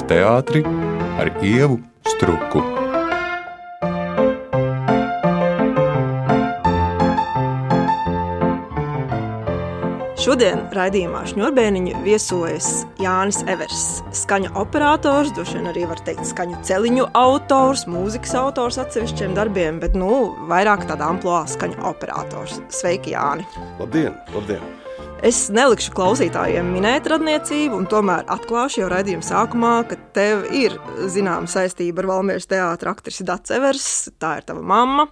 teātri ar Ievu Struku. Šodien raidījumā Šņurbēniņu viesojas Jānis Evers, skaņu operators, droši vien arī var teikt skaņu celiņu autors, mūzikas autors atsevišķiem darbiem, bet vairāk tādā amploā skaņu operators. Sveiki, Jāni! Labdien, labdien! Es nelikšu klausītājiem minēt radniecību, un tomēr atklāšu jau raidījuma sākumā, ka tev ir zināma saistība ar Valmieras teātra aktrisi Dats Evers, tā ir tava mamma,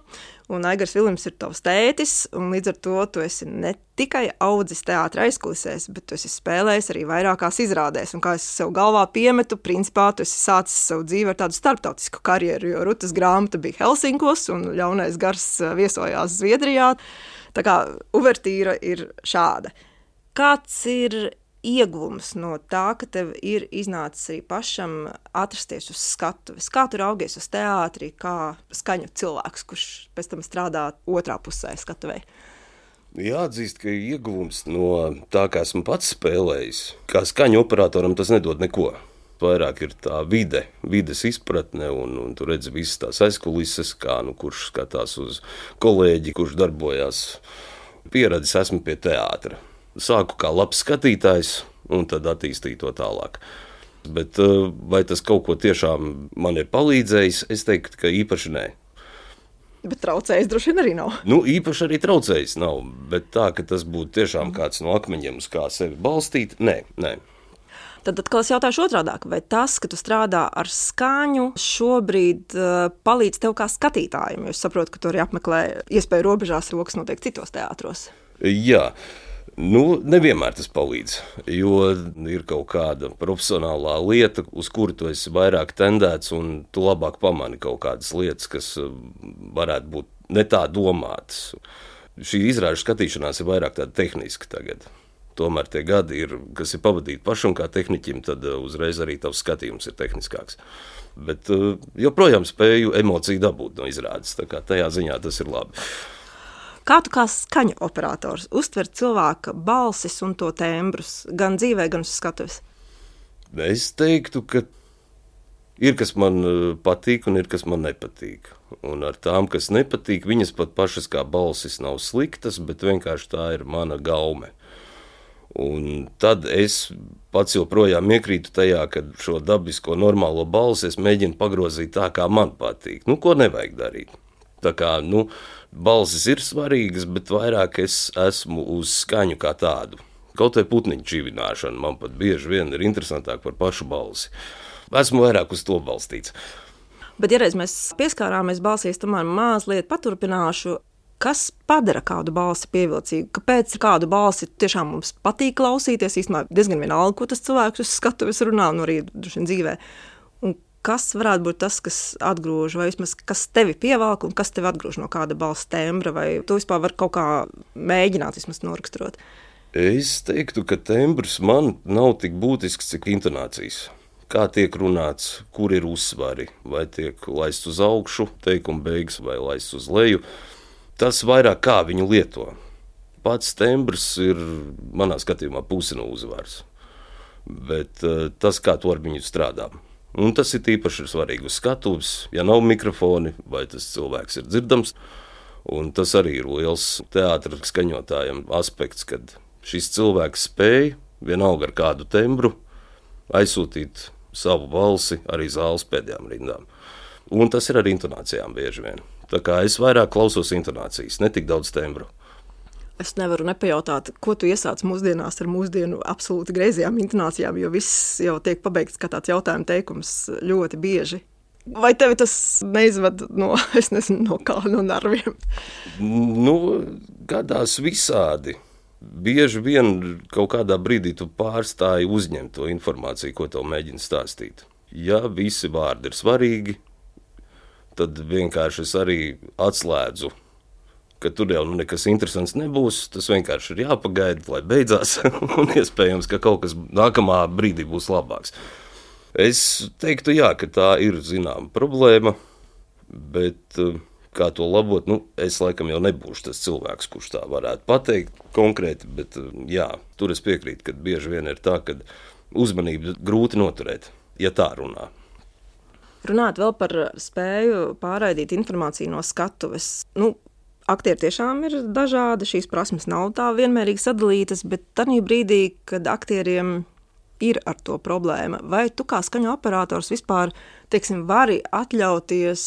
un Aigars Viljams ir tavs tētis, un līdz ar to tu esi ne tikai audzis teātra aizkulisēs, bet tu esi spēlējis arī vairākās izrādēs, un kā es sev galvā piemetu, principā tu esi sācis savu dzīvi ar tādu starptautisku karjeru, jo Rutas grāmata bija Helsinkos, un Ļaunais gars viesojās Zviedrijā, tā kā uvertīra ir šāda. Kāds ir ieguvums no tā, ka tev ir iznācis arī pašam atrasties uz skatuves? Kā tu raugies uz teātri, kā skaņu cilvēks, kurš pēc tam strādā otrā pusē skatuvei? Jāatzīst, ka ieguvums no tā, kā esmu pats spēlējis, kā skaņu operatoram tas nedod neko. Vairāk ir tā vides izpratne, un tu redzi visas tās aizkulises, kā kurš skatās uz kolēģi, kurš darbojās. Pieredzis esmu pie teātra. Sāku kā labs skatītājs, un tad attīstīju to tālāk. Bet vai tas kaut ko tiešām man ir palīdzējis, es teiktu, ka īpaši nē. Bet traucējis droši vien arī nav. Īpaši arī traucējis nav, bet tā, ka tas būtu tiešām kāds no akmeņiem, uz kā sevi balstīt, nē. Tad atkal es jautāšu otrādāk, vai tas, ka tu strādā ar skaņu, šobrīd palīdz tev kā skatītājiem, jo es saprotu, ka tu arī apmeklē iespēju robežās, rokas notiek citos teātros. Jā. Nevienmēr tas palīdz, jo ir kaut kāda profesionālā lieta, uz kuru tu esi vairāk tendēts, un tu labāk pamani kaut kādas lietas, kas varētu būt ne tā domātas. Šī izrāžu skatīšanās ir vairāk tāda tehniska tagad. Tomēr tie gadi, kas ir pavadīti pašam kā tehniķim, tad uzreiz arī tavs skatījums ir tehniskāks. Bet joprojām spēju emociju dabūt no izrādes, tā kā tajā ziņā tas ir labi. Kā tu kā skaņu operators uztver cilvēka balsis un to tembrus, gan dzīvē, gan uz skatuves? Es teiktu, ka ir, kas man patīk un ir, kas man nepatīk. Un ar tām, kas nepatīk, viņas pat pašas kā balsis nav sliktas, bet vienkārši tā ir mana gaume. Un tad es pats joprojām iekrītu tajā, ka šo dabisko normālo balsi es mēģinu pagrozīt tā, kā man patīk. Ko nevajag darīt? Tā kā, balsis ir svarīgas, bet vairāk es esmu uz skaņu kā tādu. Kaut vai putniņu čivināšana man pat bieži vien ir interesantāk par pašu balsi. Esmu vairāk uz to balstīts. Bet, ja reiz mēs pieskārāmies balsīs, tomēr mazliet paturpināšu, kas padara kādu balsi pievilcīgu? Kāpēc kādu balsi tiešām mums patīk klausīties? Īstenībā diezgan vienalga, ko tas cilvēks uz skatuves runā, un arī droši vien dzīvē. Un kas varētu būt tas, kas atgrūž, vai vismaz kas tevi pievelk un kas tevi atgrūž no kāda balss tembra, vai tu vispār vari kaut kā mēģināt vismaz noraksturot? Es teiktu, ka tembrs man nav tik būtisks, cik intonācijas. Kā tiek runāts, kur ir uzsvari, vai tiek laists uz augšu, teikuma beigas, vai laists uz leju. Tas vairāk kā viņu lieto. Pats tembrs ir manā skatījumā pusi no uzvaras, bet tas, kā to ar viņu strādā. Un tas ir īpaši svarīgi uz skatuves, ja nav mikrofoni, vai tas cilvēks ir dzirdams. Un tas arī ir liels teātra skaņotājiem aspekts, kad šis cilvēks spēj, vienalga ar kādu tembru, aizsūtīt savu balsi arī zāles pēdējām rindām. Un tas ir ar intonācijām bieži vien. Tā kā es vairāk klausos intonācijas, ne tik daudz tembru. Es nevaru nepajautāt, ko tu iesāc mūsdienās ar mūsdienu absolūti greizajām intonācijām, jo viss jau tiek pabeigts kā tāds jautājuma teikums ļoti bieži. Vai tevi tas neizved no nerviem? Gadās visādi. Bieži vien kaut kādā brīdī tu pārstāji uzņemt to informāciju, ko tev mēģina stāstīt. Ja visi vārdi ir svarīgi, tad vienkārši es arī atslēdzu, ka tur jau nekas interesants nebūs, tas vienkārši ir jāpagaida, lai beidzās, un iespējams, ka kaut kas nākamā brīdī būs labāks. Es teiktu, jā, ka tā ir zināma problēma, bet kā to labot, es laikam jau nebūšu tas cilvēks, kurš tā varētu pateikt konkrēti, bet jā, tur es piekrītu, ka bieži vien ir tā, ka uzmanību grūti noturēt. ja tā runā. Runāt vēl par spēju pārraidīt informāciju no skatuves. Aktieri tiešām ir dažādi, šīs prasmes nav tā vienmērīgi sadalītas, bet tajā brīdī, kad aktieriem ir ar to problēma, vai tu kā skaņu operators vispār, vari atļauties,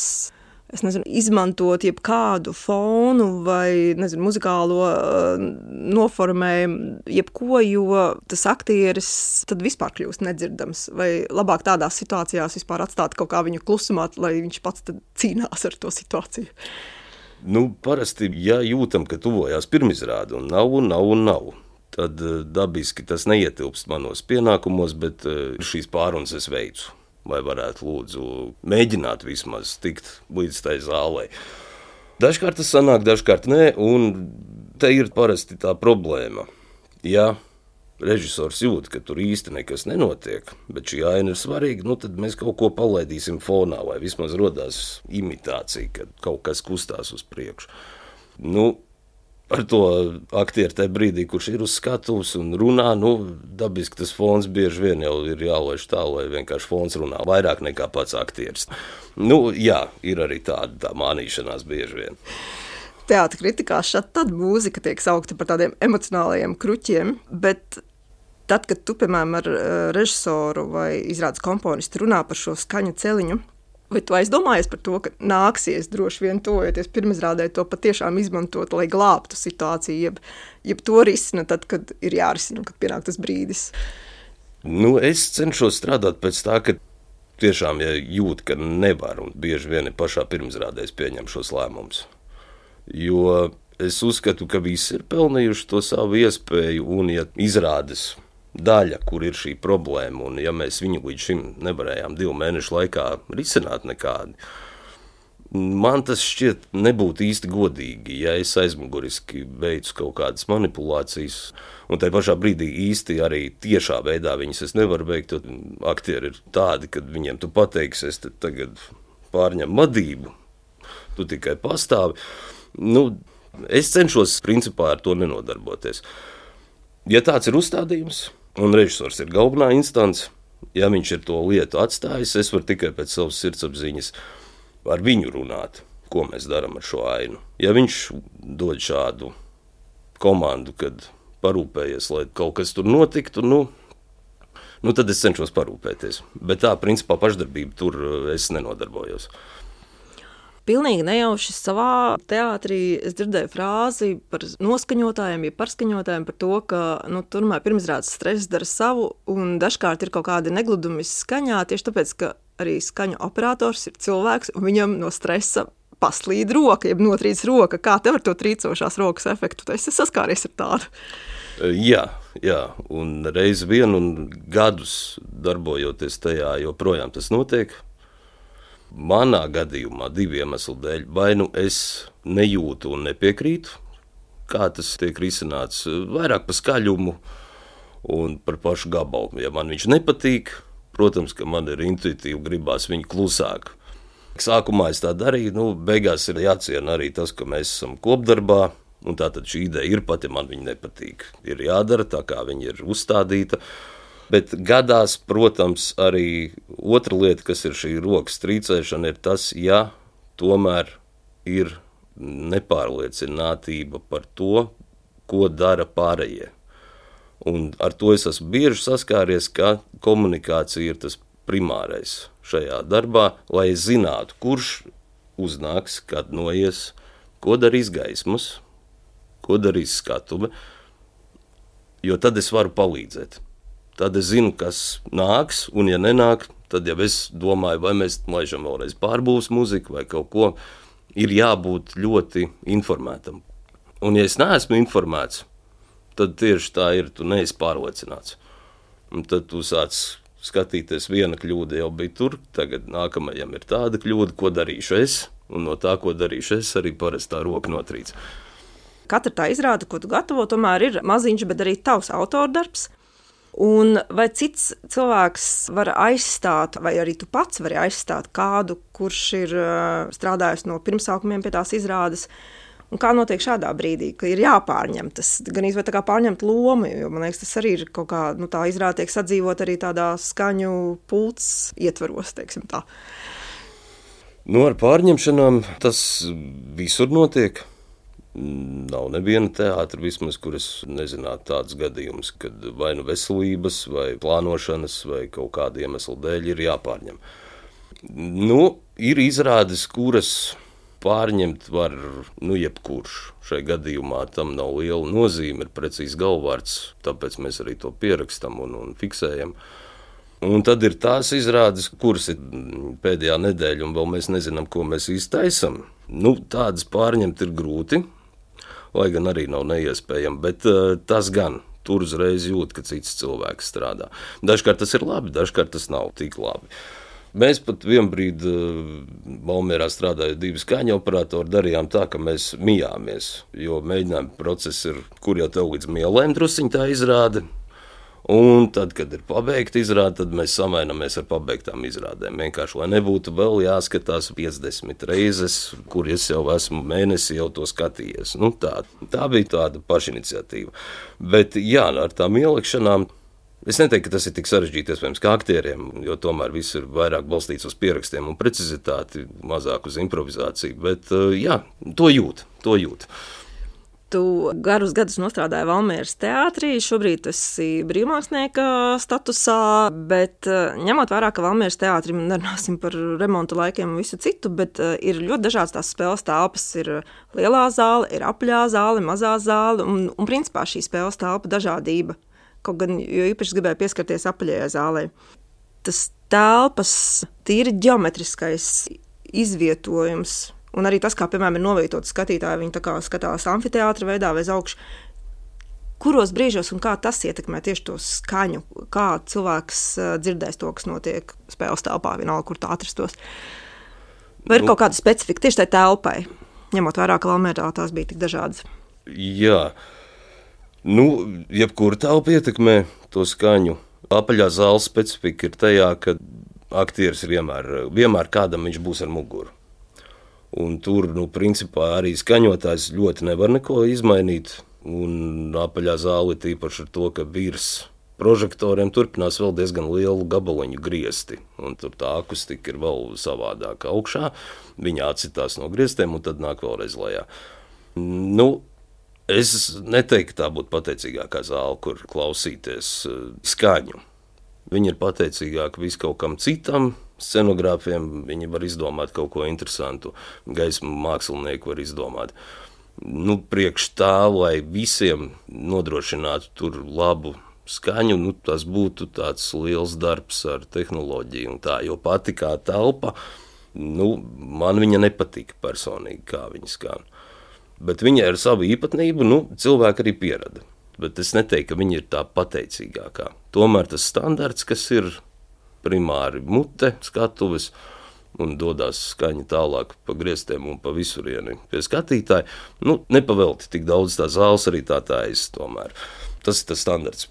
izmantot jebkādu fonu vai, muzikālo noformējumu, jebko, jo tas aktieris tad vispār kļūst nedzirdams, vai labāk tādās situācijās vispār atstāt kaut kā viņu klusumā, lai viņš pats tad cīnās ar to situāciju? Parasti, ja jūtam, ka tuvojās pirmizrāde un nav, tad dabiski tas neietilpst manos pienākumos, bet šīs pārunas es veicu. Vai varētu lūdzu mēģināt vismaz tikt līdz tai zālei. Dažkārt tas sanāk, dažkārt nē, un te ir parasti tā problēma. Ja režisors jūt, ka tur īsti nekas nenotiek, bet šī aina ir svarīga, tad mēs kaut ko palaidīsim fonā, vai vismaz rodās imitācija, kad kaut kas kustās uz priekšu. Ar to aktieru tajā brīdī, kurš ir uz skatuves un runā, dabiski tas fons bieži vien jau ir jālaiž tā, lai vienkārši fons runā vairāk nekā pats aktieris. Jā, ir arī tāda mānīšanās bieži vien. Teātra kritikās tad mūzika tiek saukta par tādiem emocionālajiem kruķiem, bet tad, kad tu, piemēram, ar režisoru vai izrādes komponistu runā par šo skaņu celiņu, vai tu aizdomājies par to, ka nāksies droši vien tojoties pirmizrādē to patiešām izmantot, lai glābtu situāciju, jeb to risina tad, kad ir jārisina, kad pienāk tas brīdis? Es cenšos strādāt pēc tā, ka tiešām, ja jūt, ka nevar, un bieži vien pašā pirmizrādēs pieņem šos lēmumus. Jo es uzskatu, ka visi ir pelnījuši to savu iespēju, un ja izrādes daļa, kur ir šī problēma, un ja mēs viņu līdz šim nevarējām 2 mēnešu laikā risināt nekādi, man tas šķiet nebūtu īsti godīgi, ja es aizmuguriski veicu kaut kādas manipulācijas, un tajā pašā brīdī īsti arī tiešā veidā viņas es nevaru veikt, jo aktieri ir tādi, kad viņiem tu pateiksi, es tagad pārņem vadību, tu tikai pastāvi. Es cenšos principā ar to nenodarboties. Ja tāds ir uzstādījums, un režisors ir galvenā instance, ja viņš ir to lietu atstājis, es varu tikai pēc savas sirdsapziņas ar viņu runāt, ko mēs darām ar šo ainu. Ja viņš dod šādu komandu, kad parūpējies, lai kaut kas tur notiktu, tad es cenšos parūpēties. Bet tā, principā, pašdarbība tur es nenodarbojos. Pilnīgi nejauši savā teātrī es dzirdēju frāzi par noskaņotājiem, ja parskaņotājiem par to, ka turmēr pirmizrādes stress dara savu un dažkārt ir kaut kādi negludumi skaņā, tieši tāpēc, ka arī skaņu operators ir cilvēks un viņam no stresa paslīd roka, jeb notrīc roka. Kā tev ar to trīcošās rokas efektu? Tu esi saskāries ar tādu? Jā, un reiz vien un gadus darbojoties tajā, joprojām tas notiek. Manā gadījumā 2 iemeslu dēļ, vai es nejūtu un nepiekrītu, kā tas tiek risināts, vairāk par skaļumu un par pašu gabalu. Ja man viņš nepatīk, protams, ka man ir intuitīvi gribās viņu klusāk. Sākumā es tā darīju, beigās ir jāciena arī tas, ka mēs esam kopdarbā, un tātad šī ideja ir pat, ja man viņa nepatīk. Ir jādara tā, kā viņa ir uzstādīta. Bet gadās, protams, arī otra lieta, kas ir šī rokas trīcēšana, ir tas, ja tomēr ir nepārliecinātība par to, ko dara pārējie. Un ar to es esmu bieži saskāries, ka komunikācija ir tas primārais šajā darbā, lai es zinātu, kurš uznāks, kad noies, ko darīs gaismas, ko darīs skatuve, jo tad es varu palīdzēt. Tad es zinu, kas nāks, un ja nenāk, tad jau es domāju, vai mēs laižam vēlreiz pārbūves muziku vai kaut ko, ir jābūt ļoti informētam. Un ja es neesmu informēts, tad tieši tā ir, tu neesi pārliecināts. Un tad tu sāc skatīties, viena kļūda jau bija tur, tagad nākamajam ir tāda kļūda, ko darīšu es, un no tā, ko darīšu es, arī parastā roka notrīc. Katra tā izrāde, ko tu gatavo, tomēr ir maziņš, bet arī tavs autordarbs. Un vai cits cilvēks var aizstāt, vai arī tu pats vari aizstāt kādu, kurš ir strādājis no pirmsākumiem pie tās izrādes, Un kā notiek šādā brīdī, ka ir jāpārņem tas, gan izvēl tā kā pārņemt lomu, jo man liekas, tas arī ir kaut kā, tā izrāda tiek sadzīvot arī tādā skaņu pults ietvaros, teiksim tā. Ar pārņemšanām tas visur notiek. Nav neviena teātra vismaz, kur es nezinātu tāds gadījums, kad vai nu veselības, vai plānošanas, vai kaut kāda iemesla dēļ ir jāpārņem. Ir izrādes, kuras pārņemt var, jebkurš. Šai gadījumā tam nav liela nozīme, ir precīzi galvvārds, tāpēc mēs arī to pierakstam un fiksējam. Un tad ir tās izrādes, kuras ir pēdējā nedēļa, un vēl mēs nezinām, ko mēs īsti taisam. Tādas pārņemt ir grūti, lai gan arī nav neiespējami, bet tas gan. Tur uzreiz jūt, ka cits cilvēks strādā. Dažkārt tas ir labi, dažkārt tas nav tik labi. Mēs pat vienbrīd Valmierā strādājot 2 skaņu operatori, darījām tā, ka mēs mijāmies, jo mēģinājuma process ir, kur jau tev līdz mielēm drusiņ tā izrāde, un tad, kad ir pabeigta izrāde, tad mēs samainamies ar pabeigtām izrādēm. Vienkārši, lai nebūtu vēl jāskatās 50 reizes, kur es jau esmu mēnesi jau to skatījies. Tā bija tāda pašiniciatīva. Bet jā, ar tām ielikšanām, es neteiktu, ka tas ir tik sarežģīti, iespējams, kā aktieriem, jo tomēr viss ir vairāk balstīts uz pierakstiem un precizitāti, mazāk uz improvizāciju, bet jā, to jūt. Tu garus gadus nostrādāji Valmieras teātrī, šobrīd tu esi brīvmākslinieka statusā, bet ņemot vērā, ka Valmieras teātrim nerunāsim par remontu laikiem un visu citu, bet ir ļoti dažādas tās spēles telpas, ir lielā zāle, ir apaļā zāle, mazā zāle, un principā šī spēles telpa dažādība. Kaut gan, jo īpaši gribēju pieskarties apaļajai zālē. Tas telpas tīri ģeometriskais izvietojums, un arī tas, kā, piemēram, ir novietots skatītāji, viņi tā kā skatās amfiteātra veidā vai uz augšu. Kuros brīžos un kā tas ietekmē tieši to skaņu, kā cilvēks dzirdēs to, kas notiek spēles telpā, vienalga, kur tā atrastos? Vai ir kaut kāda specifika tieši tai telpai, ņemot vērā, ka Valmierā tās bija tik dažādas? Jā. Jebkura telpa ietekmē to skaņu. Apaļā zāles specifika ir tajā, ka aktieris ir vienmēr kādam viņš būs ar muguru. Un tur, principā arī skaņotājs ļoti nevar neko izmainīt. Un apaļā zāle ir tīpaši ar to, ka virs prožektoriem turpinās vēl diezgan lielu gabaliņu griesti. Un tur tā akustika ir vēl savādāka augšā. Viņa atsitās no griestiem un tad nāk vēlreiz lejā. Es neteiktu, ka tā būtu pateicīgākā zāle, kur klausīties skaņu. Viņi ir pateicīgāki viskaut kam citam, scenogrāfiem, viņi var izdomāt kaut ko interesantu, gaismu mākslinieki var izdomāt. Priekš tā, lai visiem nodrošinātu tur labu skaņu, tas būtu tāds liels darbs ar tehnoloģiju un tā, jo pati kā telpa, man viņa nepatika personīgi, kā viņa skan. Bet viņa ir savu īpatnību, cilvēki arī pierada. Bet es neteiktu, ka viņa ir tā pateicīgākā. Tomēr tas standarts, kas ir primāri mute, skatuves, un dodās skaņa tālāk pa griestiem un pa visurieni pie skatītāja, nepavelti tik daudz tā zāles arī tā tomēr. Tas ir tas standarts.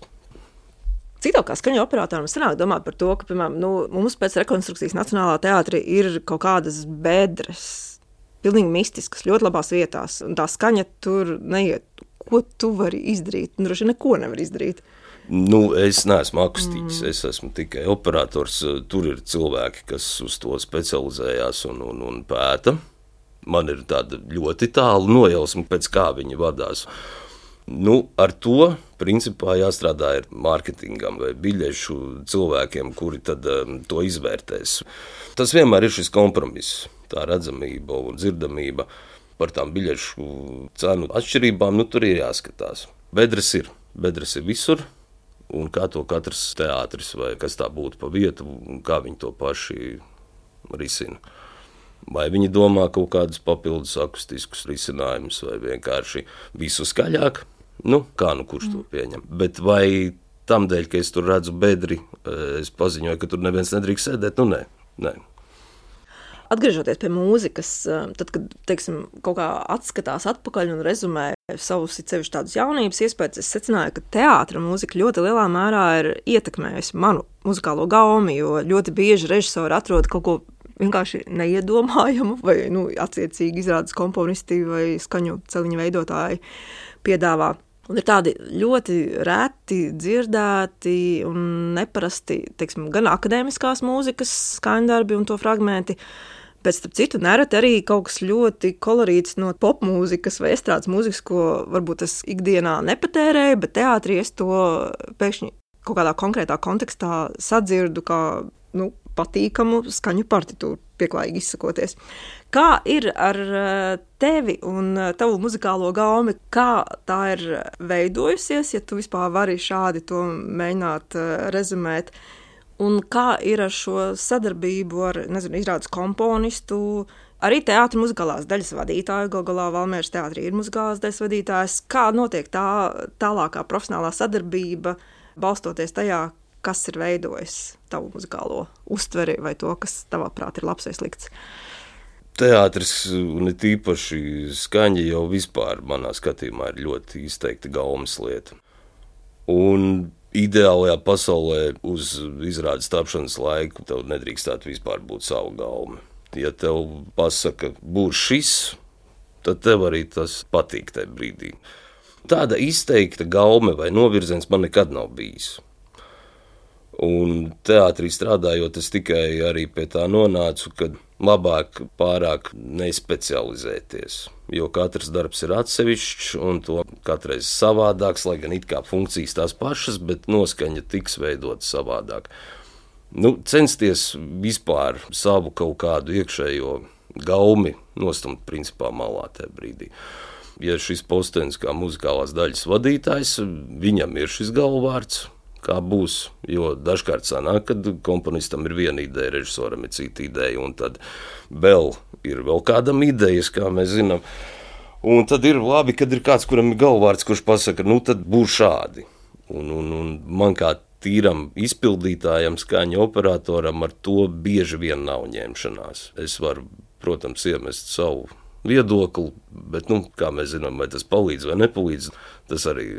Cik tev kā skaņu operatoram sanāk domāt par to, ka, piemēram, mums pēc rekonstrukcijas Nacionālā teātrī ir kaut kādas bedres, pilnīgi mistiskas, ļoti labās vietās, un tā skaņa tur neiet. Ko tu vari izdarīt? Droši neko nevar izdarīt. Es neesmu akustiķis, es esmu tikai operators. Tur ir cilvēki, kas uz to specializējās un pēta. Man ir tāda ļoti tāla nojausma, pēc kā viņi vadās. Ar to principā jāstrādā ir mārketingam vai biļešu cilvēkiem, kuri tad to izvērtēs. Tas vienmēr ir šis kompromiss, tā redzamība un dzirdamība. Par tām biļešu cenu atšķirībām, tur ir jāskatās. Bedres ir visur, un kā to katrs teātris vai kas tā būtu pa vietu, un kā viņi to paši risina. Vai viņi domā kaut kādus papildus akustiskus risinājumus, vai vienkārši visu skaļāk, kurš to pieņem. Bet vai tam dēļ, ka es tur redzu bedri, es paziņoju, ka tur neviens nedrīkst sēdēt? Nē. Atgriežoties pie mūzikas, tad, kad, teiksim, kaut kā atskatās atpakaļ un rezumē savus sevišķi tādus jaunības iespējas, es secināju, ka teātra mūzika ļoti lielā mērā ir ietekmējusi manu muzikālo gaumi, jo ļoti bieži režisori atrod kaut ko vienkārši neiedomājamu, vai attiecīgi izrādes komponisti vai skaņu celiņa veidotāji piedāvā. Un ir tādi ļoti reti dzirdēti un neparasti, teiksim, gan akadēmiskās mūzikas skaņdarbi un to fragmenti, bet, starp citu, nereti arī kaut kas ļoti kolorīts no popmūzikas vai estrādes mūzikas, ko varbūt es ikdienā nepatērēju, bet teātrī es to pēkšņi kaut kādā konkrētā kontekstā sadzirdu kā patīkamu skaņu partitūru, pieklājīgi izsakoties. Kā ir ar tevi un tavu muzikālo gaumi? Kā tā ir veidojusies, ja tu vispār vari šādi to mēģināt rezumēt? Un kā ir ar šo sadarbību ar, izrādes komponistu, arī teātra muzikālās daļas vadītāju? Galā Valmieras teātrī ir muzikālās daļas vadītājs. Kā notiek tā tālākā profesionālā sadarbība, balstoties tajā, kas ir veidojis tavu muzikālo uztveri vai to, kas tavā prāt ir labs vai slikts? Teātris, un it īpaši skaņa jau vispār manā skatījumā ir ļoti izteikti gaumes lieta. Un ideālajā pasaulē uz izrādes tapšanas laiku tev nedrīkstētu vispār būt savu gaume. Ja tev pasaka, būs šis, tad tev arī tas patīk tajā brīdī. Tāda izteikta gaume vai novirziens man nekad nav bijis. Un teātrī strādājot, es tikai arī pie tā nonācu, ka labāk pārāk nespecializēties, jo katrs darbs ir atsevišķs un to katreiz savādāks, lai gan it kā funkcijas tās pašas, bet noskaņa tiks veidot savādāk. Censties vispār savu kaut kādu iekšējo gaumi nostumt principā malā tajā brīdī. Ja šis postenis kā muzikālās daļas vadītājs, viņam ir šis galvvārds, kā būs, jo dažkārt sanāk, kad komponistam ir viena ideja, režisoram ir cita ideja, un tad vēl ir vēl kādam idejas, kā mēs zinām. Un tad ir labi, kad ir kāds, kuram ir galvvārds, kurš pasaka, tad būs šādi. Un man kā tīram izpildītājam, skaņa operatoram ar to bieži vien nav ņemšanās. Es varu, protams, iemest savu viedokli, bet, kā mēs zinām, vai tas palīdz vai nepalīdz, tas arī...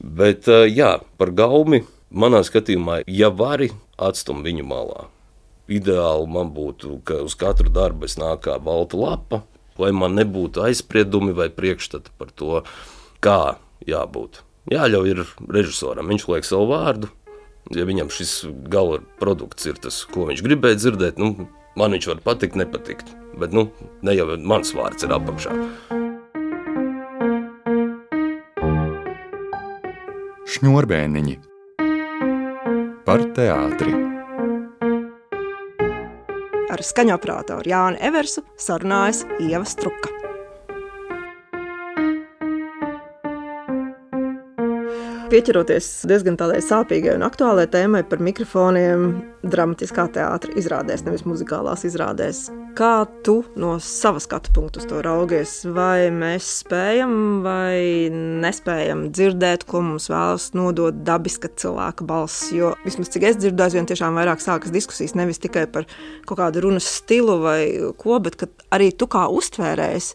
Bet, jā, par gaumi manā skatījumā, ja vari, atstum viņu malā. Ideāli man būtu, ka uz katru darbu es nāk kā balta lapa, lai man nebūtu aizspriedumi vai priekšstati par to, kā jābūt. Jāļauj ir režisoram, viņš liek savu vārdu, ja viņam šis gala produkts ir tas, ko viņš gribēja dzirdēt, man viņš var patikt, nepatikt, bet, ne jau mans vārds ir apakšā. Šņurbēniņi par teātri. Ar skaņu operatoru Jāni Eversu sarunājas Ieva Struka. Pieķeroties diezgan tādai sāpīgai un aktuālai tēmai par mikrofoniem dramatiskā teātra izrādēs, nevis muzikālās izrādēs. Kā tu no sava skatu punktu uz to raugies? Vai mēs spējam vai nespējam dzirdēt, ko mums vēlas nodot dabiska cilvēka balss? Jo vismaz cik es dzirdu, aizvien tiešām vairāk sākas diskusijas nevis tikai par kaut kādu runas stilu vai ko, bet ka arī tu kā uztvērējs,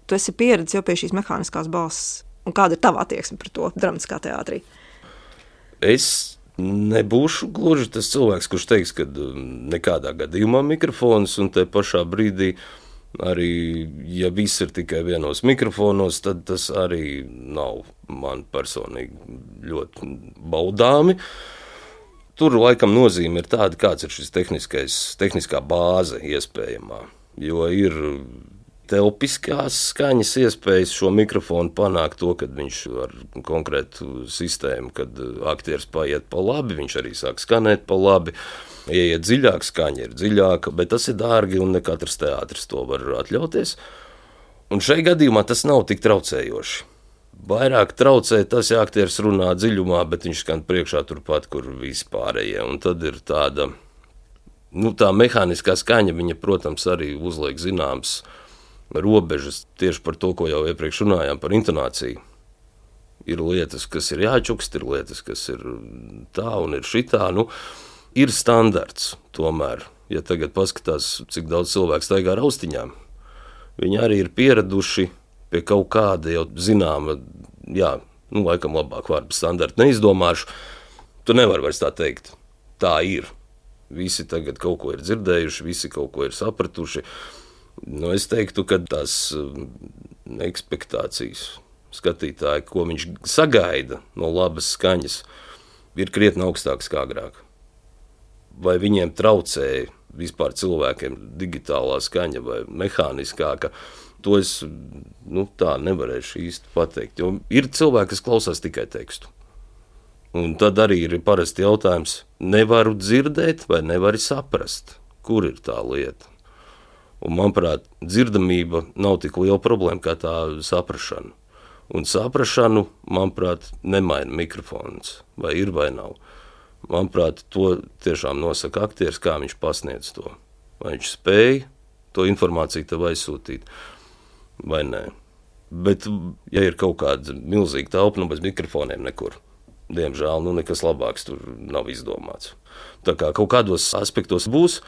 tu esi pieredzis jau pie šīs mehāniskās balss. Un kāda ir tava attieksme par to dramatiskā teātrī? Es nebūšu gluži tas cilvēks, kurš teiks, ka nekādā gadījumā mikrofons, un te pašā brīdī arī, ja viss ir tikai vienos mikrofonos, tad tas arī nav man personīgi ļoti baudāmi. Tur laikam nozīme ir tāda, kāds ir šis tehniskā bāze iespējamā, jo ir telpiskās skaņas iespējas šo mikrofonu panākt to, kad viņš ar konkrētu sistēmu, kad aktieris paiet pa labi, viņš arī sāk skanēt pa labi. Ieiet dziļāk, skaņa ir dziļāka, bet tas ir dārgi un ne katrs teātris to var atļauties. Un šai gadījumā tas nav tik traucējoši. Vairāk traucē tas, ja aktieris runā dziļumā, bet viņš skan priekšā turpat, kur visi pārējie. Un tad ir tāda, tā mehāniskā skaņa, viņa, protams, arī uzliek zināms robežas tieši par to, ko jau iepriekš runājām par intonāciju. Ir lietas, kas ir jāčukst, ir lietas, kas ir tā un ir šitā. Ir standarts tomēr. Ja tagad paskatās, cik daudz cilvēku staigā ar austiņām, viņi arī ir pieraduši pie kaut kāda jau zināma, laikam labāk vārdu standarta neizdomāšu. Tu nevari vairs tā teikt. Tā ir. Visi tagad kaut ko ir dzirdējuši, visi kaut ko ir sapratuši. Es teiktu, ka tās ekspektācijas skatītāji, ko viņš sagaida no labas skaņas, ir krietni augstākas kā agrāk. Vai viņiem traucēja vispār cilvēkiem digitālā skaņa vai mehāniskāka, to es tā nevarēšu īsti pateikt. Jo ir cilvēki, kas klausās tikai tekstu. Un tad arī ir parasti jautājums, nevaru dzirdēt vai nevari saprast, kur ir tā lieta. Un, manuprāt, dzirdamība nav tik liela problēma kā tā saprašana. Un saprašanu, manuprāt, nemaina mikrofons, vai ir vai nav. Manuprāt, to tiešām nosaka aktieris, kā viņš pasniedz to. Vai viņš spēja to informāciju tev aizsūtīt, vai nē. Bet, ja ir kaut kāda milzīga telpa, bez mikrofoniem nekur, diemžēl, nekas labāks tur nav izdomāts. Tā kā kaut kādos aspektos būs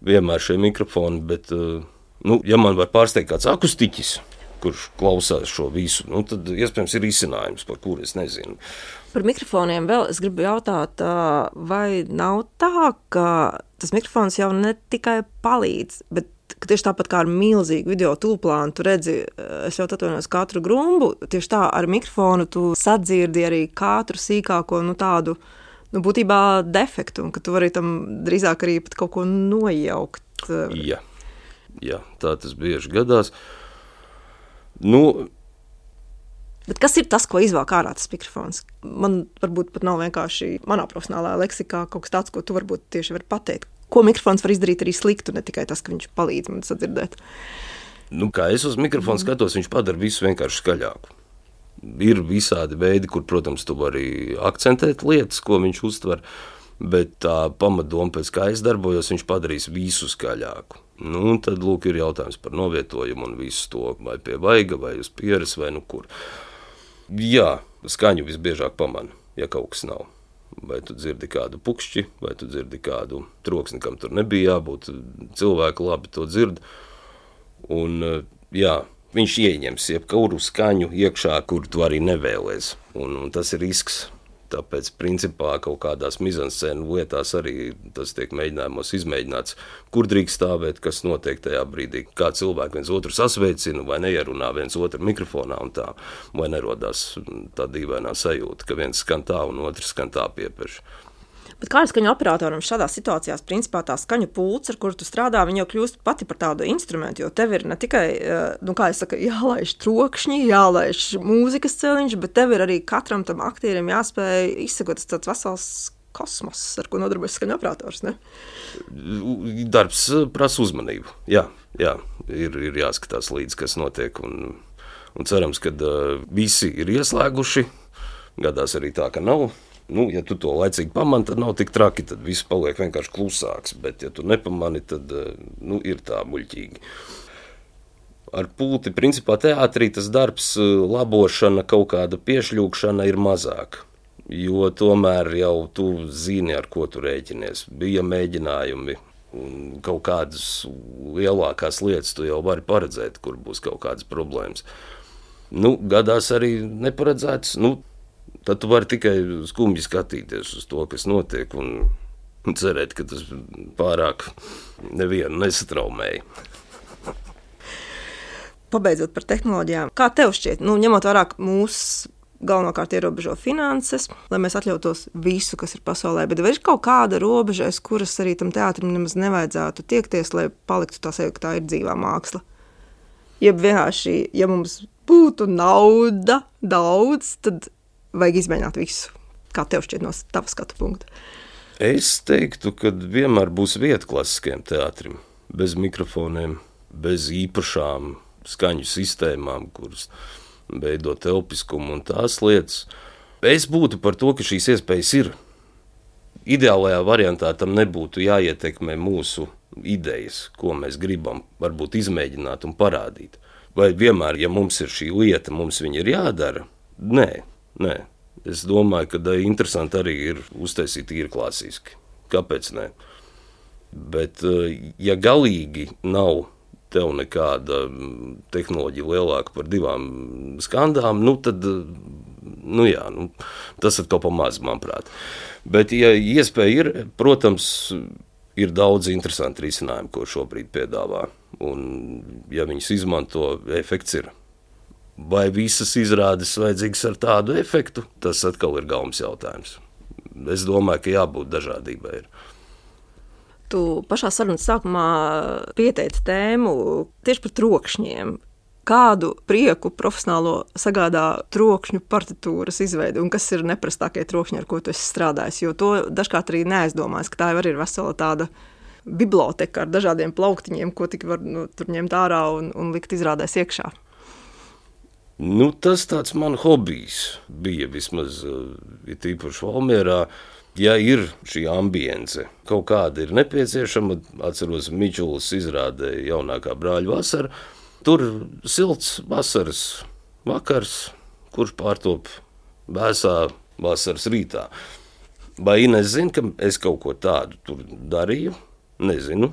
vienmēr šie mikrofoni, bet, ja man var pārsteigt kāds akustiķis, kurš klausās šo visu, tad iespējams ir izcinājums, par kuru es nezinu. Par mikrofoniem vēl es gribu jautāt, vai nav tā, ka tas mikrofons jau ne tikai palīdz, bet ka tieši tāpat kā ar milzīgu video tūplānu, tu redzi, es jau atvainojos katru grumbu, tieši tā ar mikrofonu tu sadzirdi arī katru sīkāko, tādu, būtībā defektu, un ka tu vari tam drīzāk arī pat kaut ko nojaukt. Jā, tā tas bieži gadās. Bet kas ir tas, ko izvēl ārā tas mikrofons? Man varbūt pat nav vienkārši manā profesionālā leksikā kaut kas tāds, ko tu varbūt tieši vari pateikt. Ko mikrofons var izdarīt arī sliktu, ne tikai tas, ka viņš palīdz man sadzirdēt. Kā es uz mikrofonu skatos, viņš padara visu vienkārši skaļāku. Ir visādi veidi, kur, protams, tu vari akcentēt lietas, ko viņš uztver, bet tā pamatdoma, pēc kā es darbojos, viņš padarīs visu skaļāku. Tad, ir jautājums par novietojumu un visu to, vai pie vaiga, vai uz pieres, vai kur. Jā, skaņu visbiežāk pamana, ja kaut kas nav. Vai tu dzirdi kādu pukšķi, vai tu dzirdi kādu troksni, kam tur nebija jābūt. Cilvēki labi to dzird. Un, viņš ieņems jebkuru skaņu iekšā, kur tu arī nevēlies. Un tas ir risks. Tāpēc, principā, kaut kādās mizanscēnu lietās arī tas tiek mēģinājumos izmēģināts, kur drīkst stāvēt, kas notiek tajā brīdī, kā cilvēki viens otru sasveicina vai neierunā viens otru mikrofonā un tā, vai nerodās tā dīvainā sajūta, ka viens skan tā un otrs skan tā piepeš. Bet kā ar skaņu operatoram šādās situācijās, principā tā skaņu pults, ar kuru tu strādā, viņa jau kļūst pati par tādu instrumentu, jo tev ir ne tikai, jālaiž trokšņi, jālaiž mūzikas celiņš, bet tev ir arī katram tam aktierim jāspēj izsekot tāds vesels kosmos, ar ko nodarbojas skaņu operators, ne? Darbs prasa uzmanību, jā, ir jāskatās līdz, kas notiek, un cerams, ka visi ir ieslēguši, gadās arī tā, ka nav. Ja tu to laicīgi pamani, tad nav tik traki, tad viss paliek vienkārši klusāks, bet ja tu nepamani, tad ir tā muļķīgi. Ar pulti, principā teātrī tas darbs, labošana, kaut kāda piešļūkšana ir mazāk, jo tomēr jau tu zini, ar ko tu rēķinies. Bija mēģinājumi, un kaut kādas lielākās lietas tu jau vari paredzēt, kur būs kaut kādas problēmas. Gadās arī neparedzēts, tad tu vari tikai skumji skatīties uz to, kas notiek, un cerēt, ka tas pārāk nevienu nesatraumēja. Pabeidzot par tehnoloģijām, kā tev šķiet, ņemot vērā, ka mūs galvenokārt ierobežo finanses, lai mēs atļautos visu, kas ir pasaulē, bet vai ir kaut kāda robeža, aiz kuras arī tam teātrim nemaz nevajadzētu tiekties, lai paliktu tā sajūta, ka tā ir dzīvā māksla? Jeb vienkārši, ja mums būtu nauda daudz, tad vajag izmēģināt visu, kā tev šķiet no tava skatu punkta? Es teiktu, ka vienmēr būs vieta klasiskajam teātrim, bez mikrofoniem, bez īpašām skaņu sistēmām, kuras veido telpiskumu un tās lietas. Es būtu par to, ka šīs iespējas ir. Ideālajā variantā tam nebūtu jāietekmē mūsu idejas, ko mēs gribam varbūt izmēģināt un parādīt. Vai vienmēr, ja mums ir šī lieta, mums viņa ir jādara? Nē. Es domāju, ka interesanti arī ir uztaisīt īri klasiski. Kāpēc ne? Bet, ja galīgi nav tev nekāda tehnoloģija lielāka par 2 skandām, tad, tas ir kaut pa maz, manuprāt. Bet, ja iespēja ir, protams, Ir daudz interesanti risinājumi, ko šobrīd piedāvā. Un, ja viņus izmanto, efekts ir. Vai visas izrādes vajadzīgas ar tādu efektu, tas atkal ir galvens jautājums. Es domāju, ka jābūt dažādībai. Tu pašā sarunas sākumā pieteici tēmu tieši par trokšņiem. Kādu prieku profesionālo sagādā trokšņu partitūras izveidi un kas ir neprastākie trokšņi, ar ko tu esi strādājis? Jo to dažkārt arī neaizdomājas, ka tā jau arī ir vesela tāda biblioteka ar dažādiem plauktiņiem, ko tik var tur ņemt ārā un likt izrādēs iekšā. Tas tāds man hobijs bija vismaz, ir tīpaši Valmierā. Ja ir šī ambience, kaut kāda ir nepieciešama, atceros Mičulis izrādē jaunākā Brāļu vasara, tur silts vasaras vakars, kurš pārtop vēsā vasaras rītā. Vai Ines zina, ka es kaut ko tādu tur darīju? Nezinu,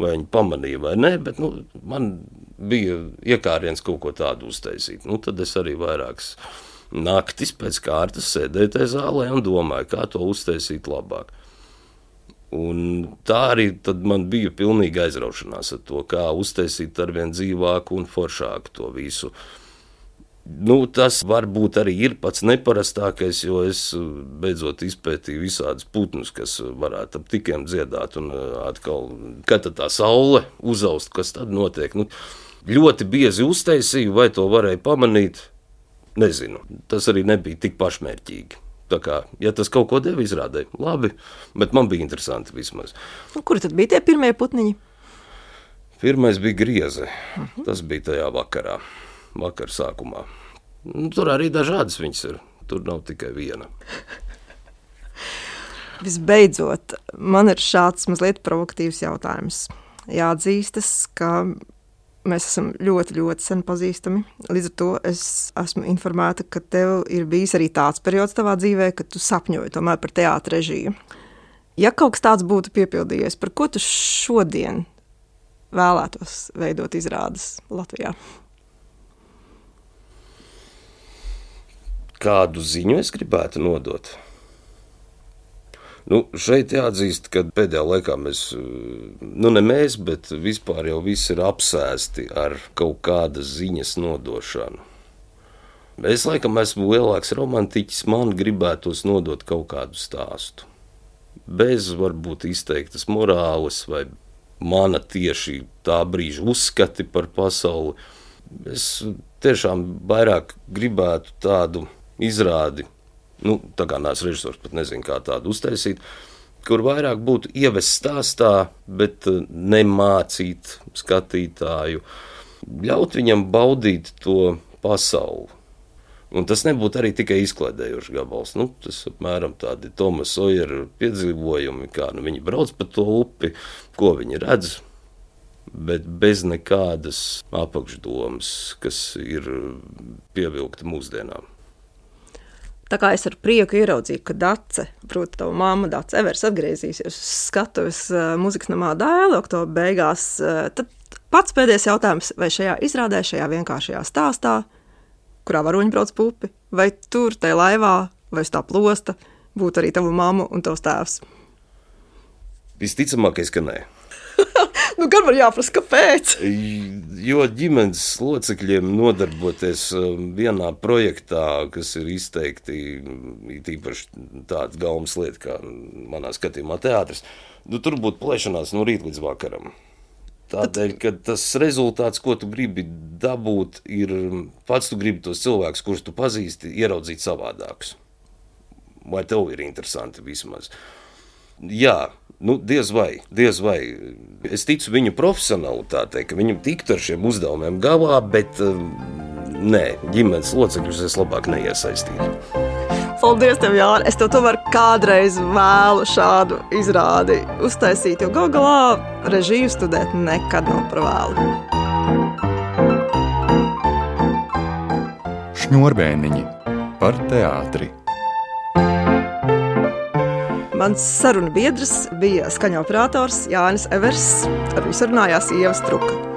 vai viņi pamanīja vai nē, bet man bija iekāriens kaut ko tādu uztaisīt. Tad es arī vairākas naktis pēc kārtas sēdēju tajā zālē un domāju, kā to uztaisīt labāk. Un tā arī tad man bija pilnīga aizraušanās ar to, kā uztaisīt arvien dzīvāku un foršāku to visu. Tas varbūt arī ir pats neparastākais, jo es beidzot izpētīju visādus putnus, kas varētu ap tikiem dziedāt un atkal, kad tad tā saule uzaust, kas tad notiek. Ļoti biezi uztaisīju, vai to varēja pamanīt, nezinu. Tas arī nebija tik pašmērķīgi. Tā kā, ja tas kaut ko deva izrādē, labi, bet man bija interesanti vismaz. Kuri tad bija tie pirmie putniņi? Pirmais bija grieze. Tas bija tajā vakara sākumā. Tur arī dažādas viņas ir. Tur nav tikai viena. Visbeidzot, man ir šāds mazliet provokatīvs jautājums. Jāatzīstas, ka mēs esam ļoti, ļoti sen pazīstami. Līdz ar to es esmu informēta, ka tev ir bijis arī tāds periods tavā dzīvē, kad tu sapņoji tomēr par teātra režiju. Ja kaut kas tāds būtu piepildījies, par ko tu šodien vēlētos veidot izrādes Latvijā? Kādu ziņu es gribētu nodot? Šeit jāatzīst, ka pēdējā laikā mēs, ne mēs, bet vispār jau visi ir apsēsti ar kaut kādas ziņas nodošanu. Es laikam esmu lielāks romantiķis, man gribētos nodot kaut kādu stāstu. Bez varbūt izteiktas morāles vai mana tieši tā brīža uzskati par pasauli. Es tiešām vairāk gribētu tādu izrādi, tā kā nāc režisors, pat nezinu, kā tādu uztaisīt, kur vairāk būtu ievest stāstā, bet nemācīt skatītāju, ļaut viņam baudīt to pasauli. Un tas nebūtu arī tikai izklaidējošs gabals. Tas apmēram tādi Toma Sojera piedzīvojumi, kā viņi brauc pa to upi, ko viņi redz, bet bez nekādas apakšdomas, kas ir pievilkta mūsdienām. Tā kā es ar prieku ieraudzīju, ka Dace, proti tava mamma Dace Evers atgriezīsies uz skatuves Mūzikas namā Dēli oktobra beigās, tad pats pēdējais jautājums, vai šajā izrādē, šajā vienkāršajā stāstā, kurā varoņi brauc pa upi, vai tur, tajā laivā, vai uz tā plosta, būtu arī tava mamma un tavs tēvs? Visticamākais, ka nē. Gan var jāprasa, kāpēc? Jo ģimenes locekļiem nodarboties vienā projektā, kas ir izteikti tīpaši tāda galvas lieta, kā manā skatījumā teātris, tur būtu plēšanās no rīta līdz vakaram. Tādēļ, ka tas rezultāts, ko tu gribi dabūt, ir pats tu gribi tos cilvēkus, kurus tu pazīsti, ieraudzīt savādākus. Vai tev ir interesanti vismaz? Jā, diez vai. Es ticu viņu profesionalitātei, ka viņam tiktu ar šiem uzdevumiem galā, bet nē, ģimenes locekļus es labāk neiesaistītu. Paldies tev, Jāni! Es tev tomēr kādreiz vēlu šādu izrādi uztaisīt, jo gal galā režiju studēt nekad nav par vēlu. Šņurbēniņi par teātri. Mans sarunu biedrs bija skaņoperators Jānis Evers, ar viņu sarunājās Ieva Struka.